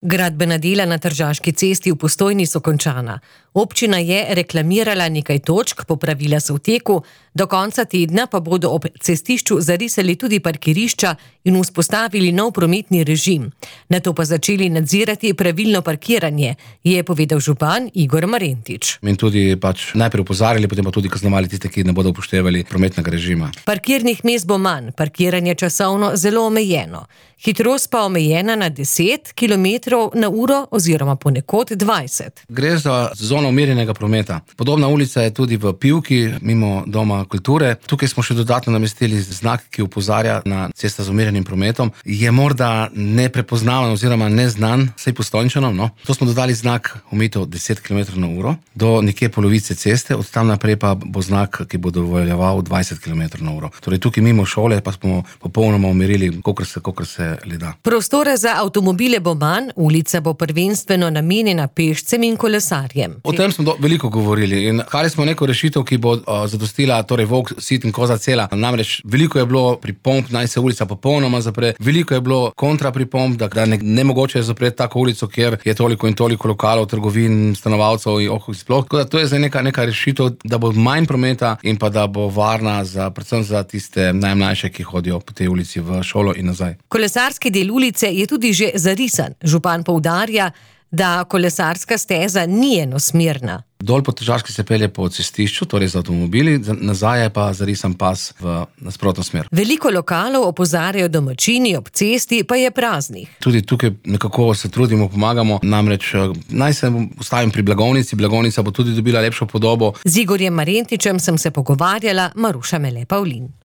Gradbena dela na Tržaški cesti v Postojni so končana. Občina je reklamirala nekaj točk, popravila so v teku, do konca tedna pa bodo ob cestišču zarisali tudi parkirišča in vzpostavili nov prometni režim. Nato pa začeli nadzirati pravilno parkiranje, je povedal župan Igor Marentič. In tudi najprej opozarjali, potem pa tudi kaznovali tiste, ki ne bodo upoštevali prometnega režima. Parkirnih mest bo manj, parkiranje časovno zelo omejeno. Hitrost pa omejena na 10 km/h oziroma ponekod 20. Gre za zono umirjenega prometa. Podobna ulica je tudi v Pivki, mimo Doma kulture. Tukaj smo še dodatno namestili znak, ki opozarja na cesta z umirjenim prometom. Je morda neprepoznaven oziroma neznan, saj Postojnčanom, no. To smo dodali znak omejitev 10 km/h do nekje polovice ceste, od tam naprej pa bo znak, ki bo dovoljeval 20 km/h. Torej tukaj mimo šole pa smo popolnoma umirili, kolikor se le da. Prostora za avtomobile bo manj, ulica bo prvenstveno namenjena pešcem in kolesarjem. O tem smo veliko govorili in iskali smo neko rešitev, ki bo zadostila, torej volk, sit in koza cela. Namreč veliko je bilo pripomb, naj se ulica popolnoma zapre, veliko je bilo kontrapripomb, da nemogoče je zapreti tako ulico, kjer je toliko in toliko lokalov, trgovin, stanovalcev in sploh. Tako da to je zdaj neka rešitev, da bo manj prometa in pa da bo varna predvsem za tiste najmlajše, ki hodijo po tej ulici v šolo in nazaj. Kolesarski del ulice je tudi že zarisan. Župan poudarja, da kolesarska steza ni enosmerna. Dol po Tržaški se pelje po cestišču, torej z avtomobili, nazaj je pa zarisan pas v nasprotno smer. Veliko lokalov opozarjajo domačini, ob cesti pa je praznih. Tudi tukaj nekako se trudimo, pomagamo, namreč naj se ustavim pri blagovnici, blagovnica bo tudi dobila lepšo podobo. Z Igorjem Marentičem sem se pogovarjala, Maruša Mele Pavlin.